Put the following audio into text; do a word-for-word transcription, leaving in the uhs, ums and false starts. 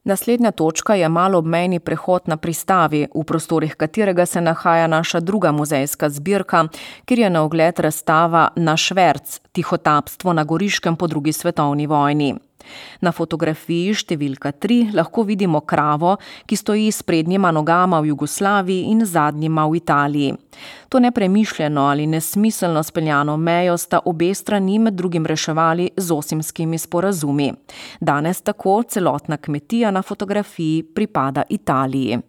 Naslednja točka je maloobmejni prehod na pristavi, v prostorih katerega se nahaja naša druga muzejska zbirka, kjer je na ogled razstava Naš Verc, tihotapstvo na Goriškem po drugi svetovni vojni. Na fotografiji številka tri lahko vidimo kravo, ki stoji s prednjima nogama v Jugoslaviji in zadnjima v Italiji. To nepremišljeno ali nesmiselno speljano mejo sta obe strani med drugim reševali z Osimskimi sporazumi. Danes tako celotna kmetija na fotografiji pripada Italiji.